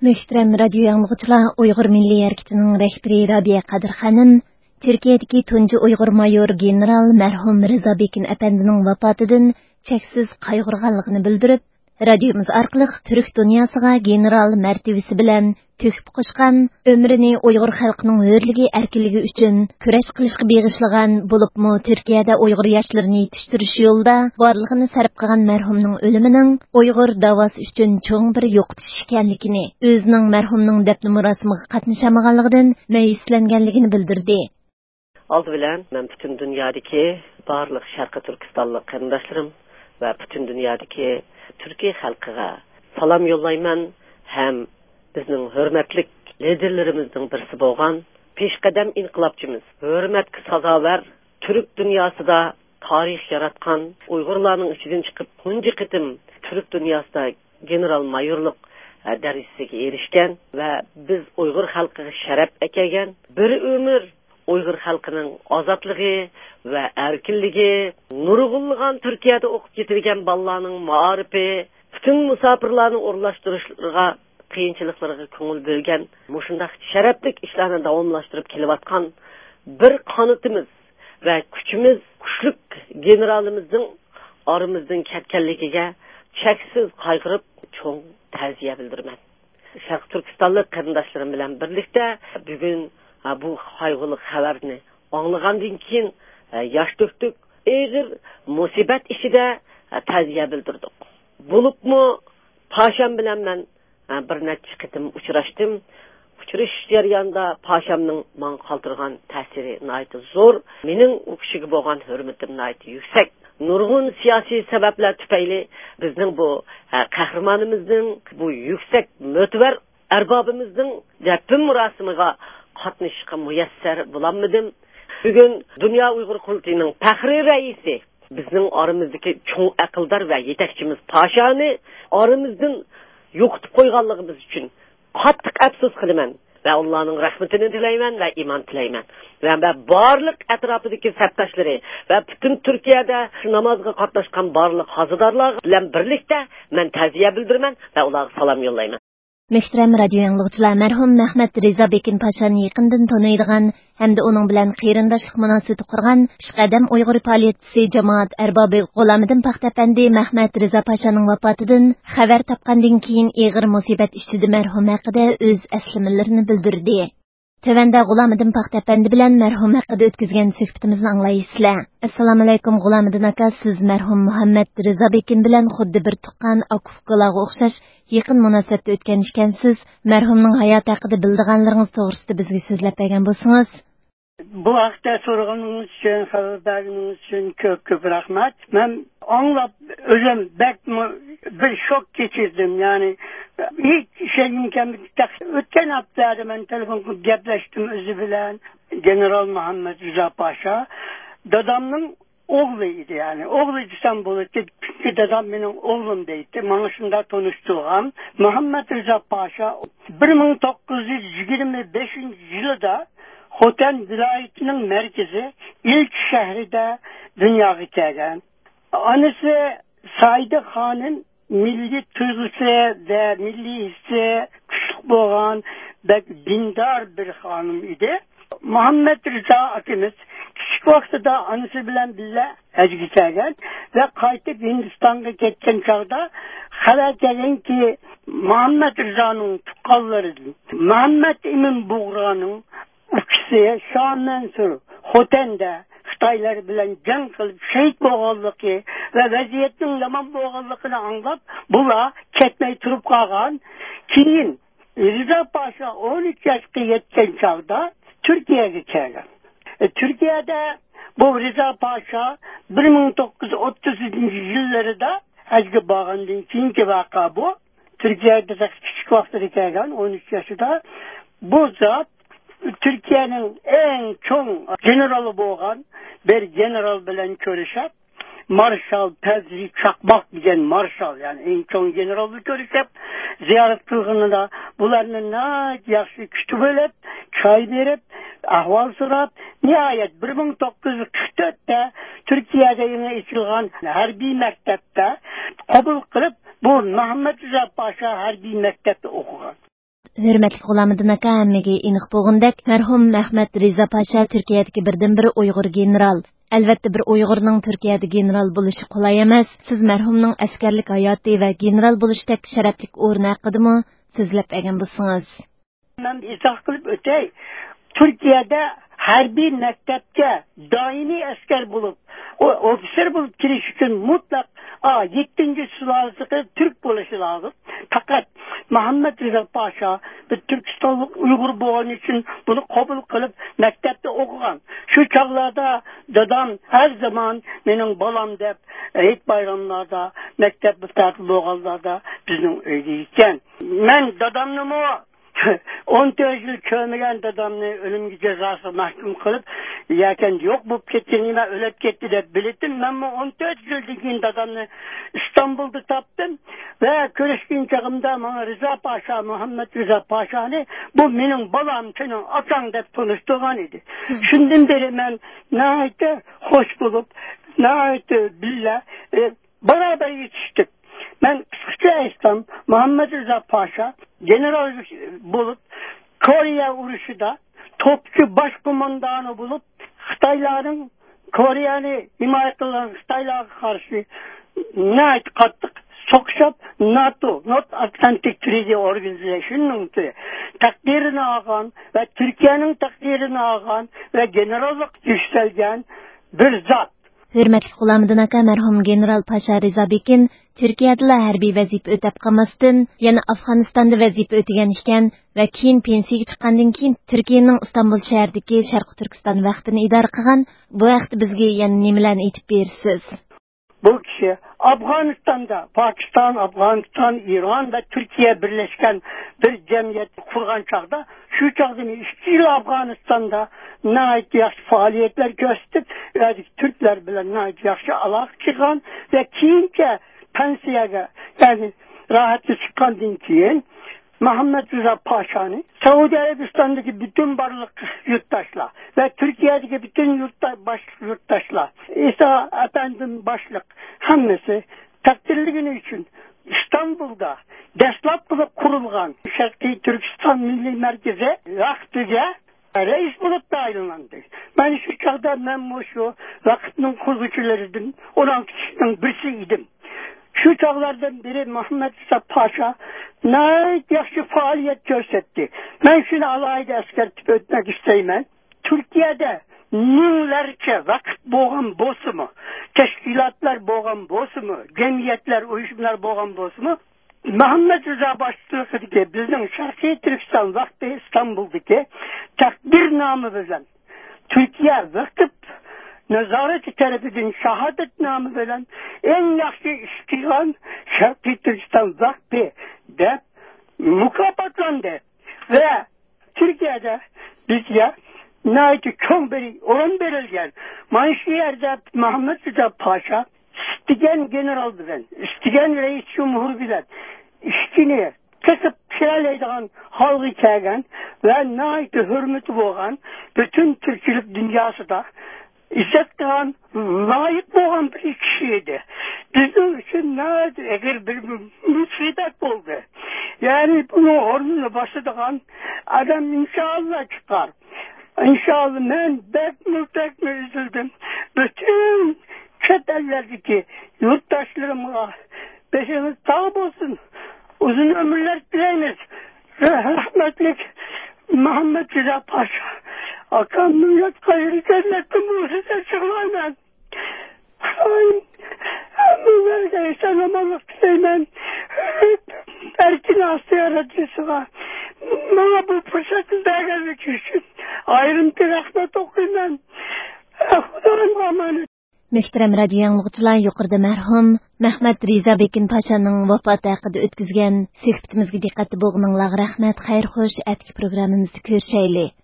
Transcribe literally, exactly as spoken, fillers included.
مۆھتەرەم رادىيو ئاڭلىغۇچىلار، ئۇيغۇر مىللىي ھەرىكىتىنىڭ رەھبىرى رابىيە قادىر خانىم تۈركىيەدىكى تۇنجى ئۇيغۇر مايور گېنېرال مەرھۇم رىزا بېكىن ئەپەندىنىڭ ۋاپاتىدىن چەكسىز قايغۇرغانلىقىنى بىلدۈرۈپ، رادىيومىز ئارقىلىق تۈرك دۇنياسىغا گېنېرال مەرتىۋىسى بىلەن تۆھپە قوشقان، ئۆمرىنى ئۇيغۇر خەلقىنىڭ ھۆرلۈكى، ئەركىنلىكى ئۈچۈن كۈرەش قىلىشقا بېغىشلىغان، بولۇپمۇ تۈركىيەدە ئۇيغۇر ياشلىرىنى يېتىشتۈرۈش يولىدا بارلىقىنى سەرپ قىلغان مەرھۇمنىڭ ئۆلۈمىنىڭ ئۇيغۇر داۋاسى ئۈچۈن چوڭ بىر يوقىتىش ئىكەنلىكىنى، ئۆزىنىڭ مەرھۇمنىڭ دەپنە مۇراسىمىغا قاتنىشالمىغانلىقىدىن مەيۈسلەنگەنلىكىنى بىلدۈردى. ئالدى بىلەن مەن پۈتۈن دۇنيادىكى بارلىق شەرقىي تۈركىستانلىق قېرىنداشلىرىم ۋە پۈتۈن دۇنيادىكى تۈركىي خەلقىگە سالام يوللايمەن ھەم بىزنىڭ ھۆرمەتلىك لىدېرلىرىمىزنىڭ بىرسى بولغان پېشقەدەم ئىنقىلابچىمىز، ھۆرمەتكە سازاۋەر، تۈرك دۇنياسىدا تارىخ ياراتقان، ئۇيغۇرلارنىڭ ئىچىدىن چىقىپ تۇنجى قېتىم تۈرك دۇنياسىدا گېنېرال مايورلۇق، ئە، دەرىجىسىگە ئېرىشكەن ۋە بىز ئۇيغۇر خەلقىگە شەرەپ ئەكەلگەن، بىر ئۆمۈر ئۇيغۇر خەلقىنىڭ ئازادلىقى ۋە ئەركىنلىكى، نۇرغۇنلىغان تۈركىيەدە ئوقۇپ يېتىلگەن بالىلارنىڭ مائارىپى، پۈتۈن مۇساپىرلارنى ئورۇنلاشتۇرۇشلىرىغا، قىيىنچىلىقلىرىغا كۆڭۈل بۆلگەن، مۇشۇنداق شەرەپلىك ئىشلارنى داۋاملاشتۇرۇپ كېلىۋاتقان بىر قانىتىمىز ۋە كۈچىمىز، كۈچلۈك گېنېرالىمىزنىڭ ئارىمىزدىن كەتكەنلىكىگە چەكسىز قايغۇرۇپ، چوڭ تەزىيە بىلدۈرىمەن. شەرقىي تۈركىستانلىق قېرىنداشلىرىم بىلەن بىرلىكتە بۈگۈن، ھە، بۇ قايغۇلۇق خەۋەرنى ئاڭلىغاندىن كېيىن، ھە، ياش تۆكتۇق. ئېغىر مۇسىبەت ئىچىدە، ھە، تەزىيە بىلدۈردۇق. بولۇپمۇ پاشام بىلەن مەن، ھە، بىر نەچچە قېتىم ئۇچراشتىم. ئۇچرىشىش جەريانىدا پاشامنىڭ ماڭا قالدۇرغان تەسىرى ناھايىتى زور. مېنىڭ ئۇ كىشىگە بولغان ھۆرمىتىم ناھايىتى يۈكسەك. نۇرغۇن سىياسىي سەۋەبلەر تۈپەيلى بىزنىڭ بۇ، ھە، قەھرىمانىمىزنىڭ بۇ يۈكسەك مۆتىۋەر ئەربابىمىزنىڭ دەپنە مۇراسىمىغا قاتنىشىشقا مۇيەسسەر بولالمىدىم. بۈگۈن دۇنيا ئۇيغۇر قۇرۇلتىيىنىڭ پەخرىي رەئىسى، بىزنىڭ ئارىمىزدىكى چوڭ ئەقىلدار ۋە يېتەكچىمىز پاشانى ئارىمىزدىن يوقىتىپ قويغانلىقىمىز ئۈچۈن قاتتىق ئەپسۇس قىلىمەن ۋە ئاللانىڭ رەھمىتىنى تىلەيمەن ۋە ئىمان تىلەيمەن. ۋە، ۋە بارلىق ئەتراپىدىكى سەپداشلىرى ۋە پۈتۈن تۈركىيەدە شۇ نامازغا قاتناشقان بارلىق ھازىدارلار بىلەن بىرلىكتە مەن تەزىيە بىلدۈرىمەن ۋە ئۇلارغا سالام يوللايمەن. مۆھتەرەم رادىيو ئاڭلىغۇچىلار، مەرھۇم مەھمەت رىزا بېكىن پاشانى يېقىندىن تونۇيدىغان ھەمدە ئۇنىڭ بىلەن قېرىنداشلىق مۇناسىۋىتى قۇرغان پېشقەدەم ئۇيغۇر پائالىيەتچىسى، جامائەت ئەربابى غۇلامىدىن پاختا ئەپەندى مەھمەت رىزا پاشانىڭ ۋاپاتىدىن خەۋەر تاپقاندىن كېيىن ئېغىر مۇسىبەت ئىچىدە مەرھۇم ھەققىدە ئۆز ئەسلىمىلىرىنى بىلدۈردى. تۆۋەندە غۇلامىدىن پاختا ئەپەندى بىلەن مەرھۇم ھەققىدە ئۆتكۈزگەن سۆھبىتىمىزنى ئاڭلايسىلەر. ئەسسالامۇئەلەيكۇم، غۇلامىدىن ئاكا، سىز مەرھۇم مۇھەممەد رىزا بېكىن بىلەن خۇددى بىر تۇغقان ئاكا-ئۇكىلارغا ئوخشاش يېقىن مۇناسىۋەتتە ئۆتكەن ئىكەنسىز. مەرھۇمنىڭ ھاياتى ھەققىدە بىلىدىغانلىرىڭىز توغرىسىدا بىزگە سۆزلەپ بەرگەن بولسىڭىز. بۇ ھەقتە سورىغىنىڭىز ئۈچۈن، خەۋەر بەرگىنىڭىز ئۈچۈن كۆپ، كۆپ رەھمەت. مەن ئاڭلاپ ئۆزۈم بەكمۇ بىر شوك كەچۈردۈم. يەنى ھېچ ئىشەنگۈم كەلمىدى. ئۆتكەن ھەپتىلەردە مەن تېلېفون قىلىپ گەپلەشتىم ئۆزى بىلەن. گېنېرال مۇھەممەد رىزا پاشا دادامنىڭ ئوغلى ئىدى، يەنى ئوغلى دېسەم بولاتتى، چۈنكى دادام مېنىڭ ئوغلۇم دەيتتى، ماڭا شۇنداق تونۇشتۇرغان. مۇھەممەد رىزا پاشا بىر مىڭ توققۇز يۈز يىگىرمە بەشىنچى يىلىدا خوتەن ۋىلايىتىنىڭ مەركىزى ئىلچى شەھىرىدە دۇنياغا كەلگەن. ئانىسى سائىدە خانىم مىللىي تۇيغۇسى ۋە مىللىي ھېسسى كۈچلۈك بولغان، بەك دىندار بىر خانىم ئىدى. مۇھەممەد رىزا ئاكىمىز كىچىك ۋاقتىدا ئانىسى بىلەن بىللە ھەجگە كەلگەن ۋە قايتىپ ھىندىستانغا كەتكەن چاغدا خەۋەر كەلگەنكى، مۇھەممەد رىزانىڭ تۇغقانلىرىدىن مۇھەممەد ئىمىن بۇغرانىڭ ئۇكىسى شاھ مەنسۇر خوتەندە خىتايلار بىلەن جەڭ قىلىپ شېھىت بولغانلىقى ۋە ۋەزىيەتنىڭ يامان بولغانلىقىنى ئاڭلاپ، بۇلار كەتمەي تۇرۇپ قالغان. كېيىن رىزا پاشا ئون ئۈچ ياشقا يەتكەن چاغدا تۈركىيەگە كەلگەن. ئە، تۈركىيەدە بۇ رىزا پاشا بىر مىڭ توققۇز يۈز ئوتتۇزىنچى يىللىرىدا ھەجگە بارغاندىن كېيىنكى ۋەقە بۇ. تۈركىيەگە بەك كىچىك ۋاقتىدا كەلگەن، ئون ئۈچ ياشىدا. بۇ زات تۈركىيەنىڭ ئەڭ چوڭ گېنېرالى بولغان بىر گېنېرال بىلەن كۆرۈشۈپ، مارشال پەزلى چاقماق دېگەن مارشال، يەنى ئەڭ چوڭ گېنېرال بىلەن كۆرۈشۈپ، زىيارەت قىلغىنىدا بۇلارنى ناھايىتى ياخشى كۈتۈپ ئېلىپ، چاي بېرىپ، ئەھۋال سوراپ، نىھايەت بىر مىڭ توققۇز يۈز قىرىق تۆتتە تۈركىيەدە يېڭى ئېچىلغان ھەربىي مەكتەپتە قوبۇل قىلىپ، بۇ مەھمەت رىزا پاشا ھەربىي مەكتەپتە ئوقۇغان. ھۆرمەتلىك غۇلامىدىن ئاكا، ھەممىگە ئېنىق بولغىنىدەك، مەرھۇم مەھمەت رىزا پاشا تۈركىيەدىكى بىردىنبىر ئۇيغۇر گېنېرال. ئەلۋەتتە، بىر ئۇيغۇرنىڭ تۈركىيەدە گېنېرال بولۇشى قولاي ئەمەس. سىز مەرھۇمنىڭ ئەسكەرلىك ھاياتى ۋە گېنېرال بولۇشتەك شەرەپلىك ئورنى ھەققىدىمۇ سۆزلەپ بەرگەن بولسىڭىز. مەن ئىزاھ قىلىپ ئۆتەي. تۈركىيەدە ھەربىي مەكتەپكە دائىمىي ئەسكەر بولۇپ، ئو-، ئوفىتسېر بولۇپ كىرىش ئۈچۈن مۇتلەق، ئا، يەتتىنچى سۇلالىسى تۈرك بولۇشى لازىم. پەقەت مۇھەممەد رىزا پاشا بىر تۈركىستانلىق ئۇيغۇر بولغىنى ئۈچۈن بۇنى قوبۇل قىلىپ مەكتەپتە ئوقۇغان. شۇ چاغلاردا دادام ھەر زامان مېنىڭ بالام دەپ ھېيت بايراملاردا، مەكتەپ تەتىل بولغانلاردا بىزنىڭ ئۆيدە ئىكەن. مەن دادامنىمۇ ئون تۆت يىل كۆرمىگەن دادامنى ئۆلۈم جازاسىغا مەھكۇم قىلىپ، يەكەندە يوق بولۇپ كەتكىنىگە مەن ئۆلۈپ كەتتى دەپ بىلىتتىم. مەنمۇ ئون تۆت يىلدىن كېيىن دادامنى ئىستانبۇلدا تاپتىم ۋە كۆرۈشكەن چېغىمدا ماڭا رىزا پاشا، مۇھەممەد رىزا پاشانى، بۇ مېنىڭ بالام، سېنىڭ ئاكاڭ دەپ تونۇشتۇرغان ئىدى. شۇندىن بېرى مەن ناھايىتى خوش بولۇپ، ناھايىتى بىللە، ئە، بارابەر يېتىشتۇق. مەن قىسقىچە ئېيتسام، مۇھەممەد رىزا پاشا گېنېرال بولۇپ، كورېيە ئۇرۇشىدا توپچى باش قوماندانى بولۇپ، خىتايلارنىڭ، كورېيەنى ھىمايە قىلغان خىتايلارغا قارشى ناھايىتى قاتتىق سوقۇشۇپ، ناتو، North Atlantic Treaty Organization نىڭ تەقدىرىنى ئالغان ۋە تۈركىيەنىڭ تەقدىرىنى ئالغان ۋە گېنېراللىققا يۈكسەلگەن بىر زات. ھۆرمەتلىك غۇلامىدىن ئاكا، مەرھۇم گېنېرال پاشا رىزا بېكىن تۈركىيەدىلا ھەربىي ۋەزىپە ئۆتەپ قالماستىن، يەنە ئافغانىستاندا ۋەزىپە ئۆتىگەن ئىكەن ۋە كېيىن پېنسىيەگە چىققاندىن كېيىن تۈركىيەنىڭ ئىستانبۇل شەھىرىدىكى شەرقىي تۈركىستان ۋەقپىنى ئىدارە قىلغان. بۇ ھەقتە بىزگە يەنە نېمىلەرنى ئېيتىپ بېرىسىز؟ بۇ كىشى ئافغانىستاندا، پاكىستان، ئافغانىستان، ئىران ۋە تۈركىيە بىرلەشكەن بىر جەمئىيەت قۇرغان چاغدا، شۇ چاغدىن ئىككى يىل ئافغانىستاندا ناھايىتى ياخشى پائالىيەتلەر كۆرسىتىپ، ئۇ يەردىكى تۈركلەر بىلەن ناھايىتى ياخشى ئالاقە قىلغان ۋە كېيىنچە پەنسىيەگە، يەنى راھەتكە چىققاندىن كېيىن، مۇھەممەد رىزا پاشانى سەئۇدى ئەرەبىستاندىكى پۈتۈن بارلىق يۇرتداشلار ۋە تۈركىيەدىكى پۈتۈن يۇرتدا-، باش-، يۇرتداشلار، ئىسا ئەپەندىم باشلىق ھەممىسى تەقدىرلىگىنى ئۈچۈن ئىستانبۇلدا دەسلەپ بولۇپ قۇرۇلغان شەرقىي تۈركىستان مىللىي مەركىزى ۋەقپىگە رەئىس بولۇپ تەيىنلاندى. مەن شۇ چاغدا مەن مۇشۇ ۋەقىپنىڭ قۇرغۇچىلىرىدىن ئون ئالتە كىشىنىڭ بىرسى ئىدىم. شۇ چاغلاردىن بېرى مۇھەممەد رىزا پاشا ناھايىتى ياخشى پائالىيەت كۆرسەتتى. مەن شۇنى ئالاھىدە ئەسكەرتىپ ئۆتمەك ئىستەيمەن. تۈركىيەدە مىڭلارچە ۋەقىپ بولغان بولسىمۇ، تەشكىلاتلار بولغان بولسىمۇ، جەمئىيەتلەر، ئۇيۇشمىلار بولغان بولسىمۇ، مۇھەممەد رىزا باشچىلىقىدىكى بىزنىڭ شەرقىي تۈركىستان ۋەقپى ئىستانبۇلدىكى تەقدىرنامە بىلەن تۈركىيە ۋەقىپ نازارىتى تەرىپىدىن شاھادەتنامە بىلەن ئەڭ ياخشى ئىش قىلغان شەرقىي تۈركىستان ۋەقپى دەپ مۇكاپاتلاندى ۋە تۈركىيەدە بىزگە ناھايىتى چوڭ بىر ئورۇن بېرىلگەن. مانا شۇ يەردە مۇھەممەد رىزا پاشا ئىستىگەن گېنېرال بىلەن، ئىستىگەن رەئىس جۇمھۇر بىلەن ئىشىكىنى قېقىپ كىرەلەيدىغان ھالغا كەلگەن ۋە ناھايىتى ھۆرمىتى بولغان، پۈتۈن تۈركچىلىك دۇنياسىدا ئىززەت قىلغان، لايىق بولغان بىر كىشى ئىدى. بىزنىڭ ئۈچۈن ناھايىتى ئېغىر بىر مۇسىبەت بولدى. يەنى بۇنىڭ ئورنىنى باسىدىغان ئادەم ئىنشائاللا چىقار. ئىنشائاللا، مەن بەكمۇ، بەكمۇ ئۈزۈلدۈم. پۈتۈن چەت ئەللەردىكى يۇرتداشلىرىمغا بېشىڭىز ساغ بولسۇن، ئۇزۇن ئۆمۈرلەر تىلەيمىز. رەھمەتلىك مۇھەممەد رىزا پاشا ئاكامنىڭ ياتقان يېرى جەننەتتىن بولسۇن دەپ يىغلايمەن. خۇدايىم ھەممىڭلارغا ئېسەن-ئامانلىق تىلەيمەن. ئەركىن ئاسىيا رادىيوسىغا ماڭا بۇ پۇرسەتنى بەرگەنلىكى ئۈچۈن ئايرىم بىر رەھمەت ئوقۇيمەن. خۇدايىمغا ئامانەت. مۆھتەرەم رادىيو ئاڭلىغۇچىلار، يۇقىرىدا مەرھۇم مەھمەت رىزا بېكىن پاشانىڭ ۋاپاتى ھەققىدە ئۆتكۈزگەن سۆھبىتىمىزگە دىققەتتە بولغىنىڭلارغا رەھمەت. خەير خوش، ئەتىكى پروگراممىمىزدا كۆرۈشەيلى.